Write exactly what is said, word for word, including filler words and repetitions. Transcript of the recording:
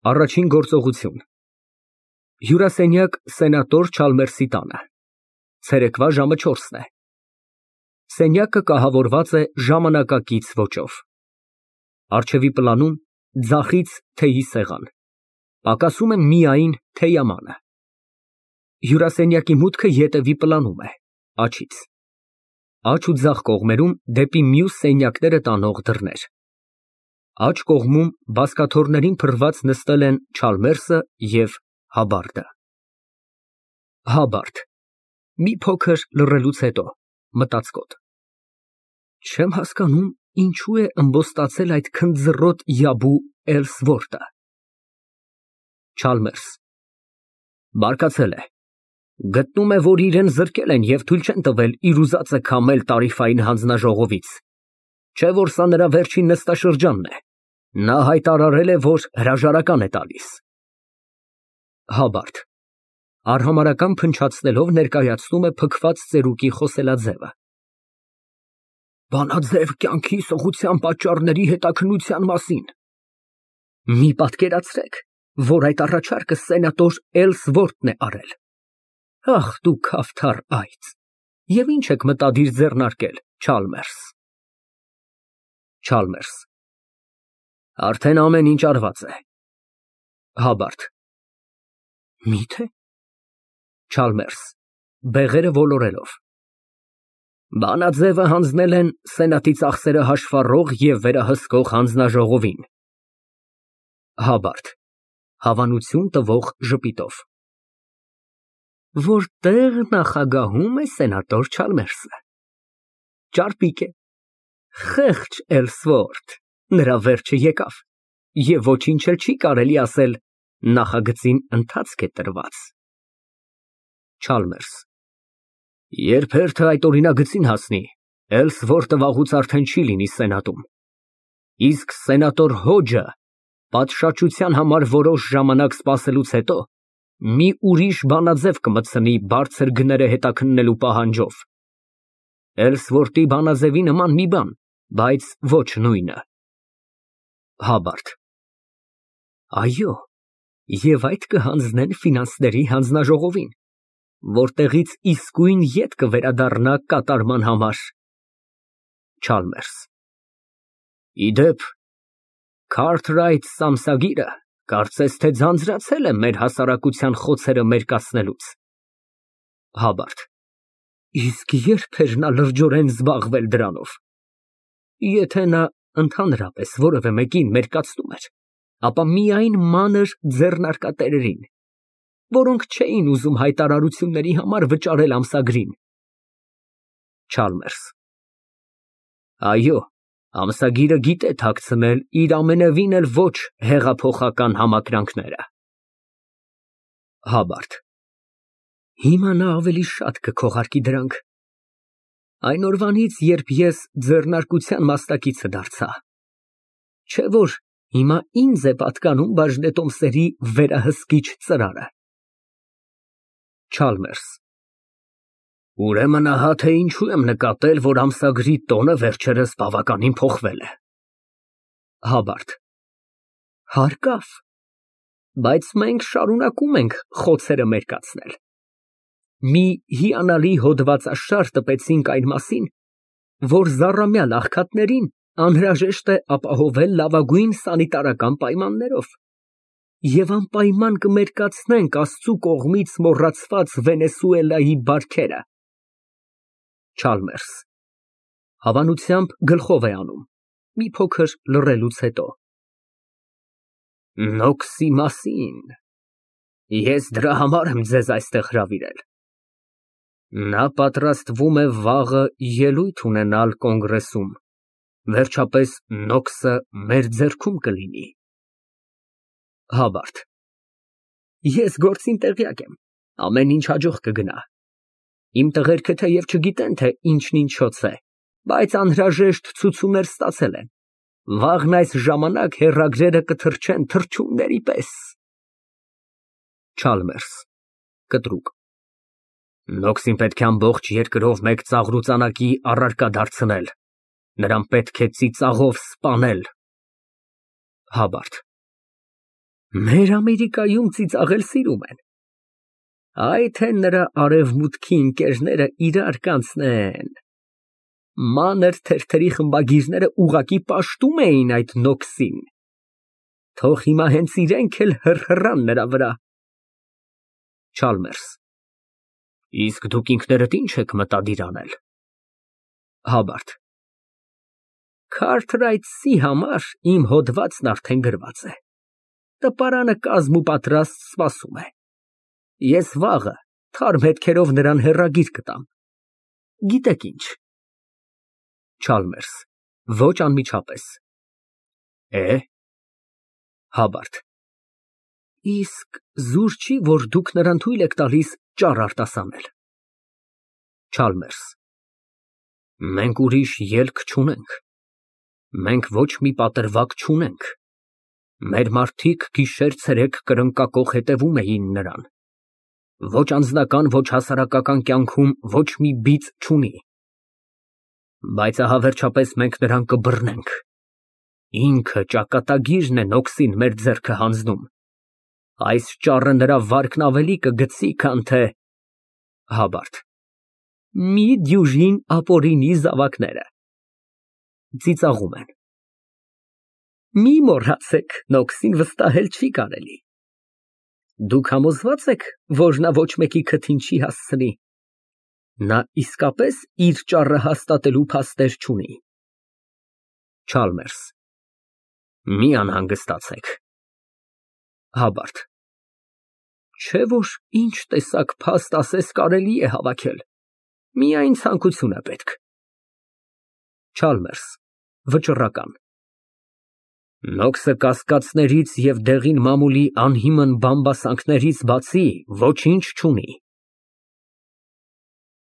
Առաջին գործողություն։ Հյուրասենյակ սենատոր Չալմերսի տանը, ցերեկվա ժամը չորսն է։ Սենյակը կահավորված է ժամանակակից ոճով։ Առջևի պլանում ձախից թեյի սեղան, պակասում է միայն թեյամանը։ Հյուրասենյակի մուտքը ետևի պլանում է,աջից։ Աջ ու ձախ կողմերում դեպի մյուս սենյակները տանող դռներ։ Աջ կողմում բազկաթոռներին փռված նստել են Չալմերսը և Հաբարդը։ Հաբարդ մի փոքր լռելուց հետո մտածկոտ։ Չեմ հասկանում, ինչու է ըմբոստացել այդ քնձռոտ յաբու Էլսվորտը։ Չալմերս բարկացել է, գտնում է, որ իրան զրկել են և թույլ չեն տվել իր ուզածը քամել տարիֆային հանձնաժողովից, չէ՞ որ սա նրա վերջին նստաշրջանն է, նա հայտարարել է, որ հրաժարական է տալիս։ Հաբարդ արհամարհական փնչացնելով ներկայացնում է փքված ծերուկի խոսելաձևը։ Բանաձև կյանքի սղության պատճառների հետաքննության մասին։ Մի պատկերացրեք, որ այդ առաջարկը սենատոր Էլսվորտն է արել։ Ախ դու քավթառ այծ, և ի՞նչ եք մտադիր ձեռնարկել, Չալմերս։ Չալմերս արդեն ամեն ինչ արված է։ Հաբարդ մի՞թե։ Չալմերս բեղերը ոլորելով բանաձևը հանձնել են սենատի ծախսերը հաշվառող և վերահսկող հանձնաժողովին։ Հաբարդ հավանություն տվող ժպիտով որտե՞ղ նախագահում է սենատոր Չալմերսը։ Ճարպիկ է, խեղճ Էլսվորտ, նրա վերջը եկավ, և ոչինչ էլ չի կարելի ասել, նախագծին ընթացք է տրված։ Չալմերս երբ հերթը այդ օրինագծին հասնի, Էլսվորտը վաղուց արդեն չի լինի սենատում, իսկ սենատոր Հոջը պատշաճության համար որոշ ժամանակ սպասելուց հետո մի ուրիշ բանաձև կմտցնի բարձր գները հետաքննելու պահանջով։ Էլսվորտի բանաձևի նման մի բան, բայց ոչ նույնը։ Հաբարդ այո, և այդ կհանձնեն ֆինանսների հանձնաժողովին, որտեղից իսկույն ետ կվերադառնա կատարման համար։ Չալմերս ի դեպ, Քարթրայթ Սամսագիրը կարծես թե ձանձրացել է մեր հասարակության խոցերը մերկացնելուց։ Հաբարդ իսկ ե՞րբ էր նա լրջորեն զբաղվել դրանով։ Եթե նա ընդհանրապես որևէ մեկին մերկացնում էր, ապա միայն մանր ձեռնարկատերերին, որոնք չէին ուզում հայտարարությունների համար վճարել ամսագրին։ Չալմերս այո, ամսագիրը գիտե թաքցնել իր ամենևին էլ ոչ հեղափոխական համակրանքները։ Հաբարդ հիմա նա ավելի շատ կքողարկի դրանք։ Այն օրվանից, երբ ես ձեռնարկության մասնակիցը դարձա, չէ՞ որ հիմա ինձ է պատկանում բաժնետոմսերի վերահսկիչ ծրարը։ Չալմերս ուրեմն ահա թե ինչու եմ նկատել, որ ամսագրի տոնը վերջերս բավականին փոխվել է։ Հաբարդ հարկավ, բայց մենք շարունակում ենք խոցերը մերկացնել։ Մի հիանալի հոդվածաշար տպեցինք այն մասին, որ զառամյալ աղքատներին անհրաժեշտ է ապահովել լավագույն սանիտարական պայմաններով, և անպայման կմերկացնենք Աստծու կողմից մոռացված Վենեսուելայի բարքերը։ Չալմերս հավանությամբ գլխով է անում, մի փոքր լռելուց հետո Նոքսի մասին, ես դրա համար եմ ձեզ այստեղ հրավիրել։ Նա պատրաստվում է վաղը ելույթ ունենալ կոնգրեսում, վերջապես նոքսը մեր ձեռքում կլինի։ Հաբարդ ես գործին տեղյակ եմ, ամեն ինչ հաջող կգնա։ Իմ տղերքը թեև չգիտեն, թե ինչն ինչոց է, բայց անհրաժեշտ ցուցումներ ստացել են։ Վաղն այս ժամանակ հեռագրերը կթռչեն թռչունների պես։ Չալմերս կտրուկ Նոքսին պետք է ամբողջ երկրով մեկ ծաղրուծանակի առարկա դարձնել, նրան պետք է ծիծաղով սպանել։ Հաբարդ Մեր Ամերիկայում ծիծաղել սիրում են։ Այ թե նրա արևմուտքի ընկերները իրար կանցնեն։ Մանր թերթերի խմբագիրները ուղղակի պաշտում էին այդ նոքսին։ Թող հիմա հենց իրենք էլ հռհռան նրա վրա։ Չալմերս, իսկ դուք ինքներդ ինչ եք մտադիր անել։ Հաբարդ, Քարթրայթսի համար իմ հոդվածն արդեն գրված է։ Տպարանը կազմ ու պատրաստ սպասում է։ Ես վաղը թարմ հետքերով նրան հեռագիր կտամ։ Գիտեք ինչ։ Չալմերս, ոչ անմիջապես։ Է՞։ Հաբարդ, իսկ զուր չի, որ դուք նրան թույլ եք տալիս ճառ արտասանել։ Չալմերս, մենք ուրիշ ելք չունենք։ Մենք ոչ մի պատրվակ չունենք։ Մեր մարդիկ գիշեր֊ցերեկ կրնկակոխ հետևում էին նրան։ Ոչ անձնական, ոչ հասարակական կյանքում ոչ մի բիծ չունի։ Բայց ահա վերջապես մենք նրան կբռնենք։ Ինքը ճակատագիրն է նոքսին մեր ձեռքը հանձնում։ Այս ճառը նրա վարկն ավելի կգցի, քան թե… Հաբարդ, մի դյուժին ապօրինի զավակները։ Ծիծաղում են։ Մի մոռացեք, նոքսին վստահել չի կարելի։ Դուք համոզվա՞ծ եք, որ նա ոչ մեկի քթին չի հասցնի։ Նա իսկապես իր ճառը հաստատելու փաստեր չունի։ Չալմերս, մի անհանգստացեք։ Հաբարդ, չէ՞ որ ինչ տեսակ փաստ ասես կարելի է հավաքել, միայն ցանկություն է պետք։ Չալմերս, վճռական։ Նոքսը կասկածներից և դեղին մամուլի անհիմն բամբասանքներից բացի ոչինչ չունի։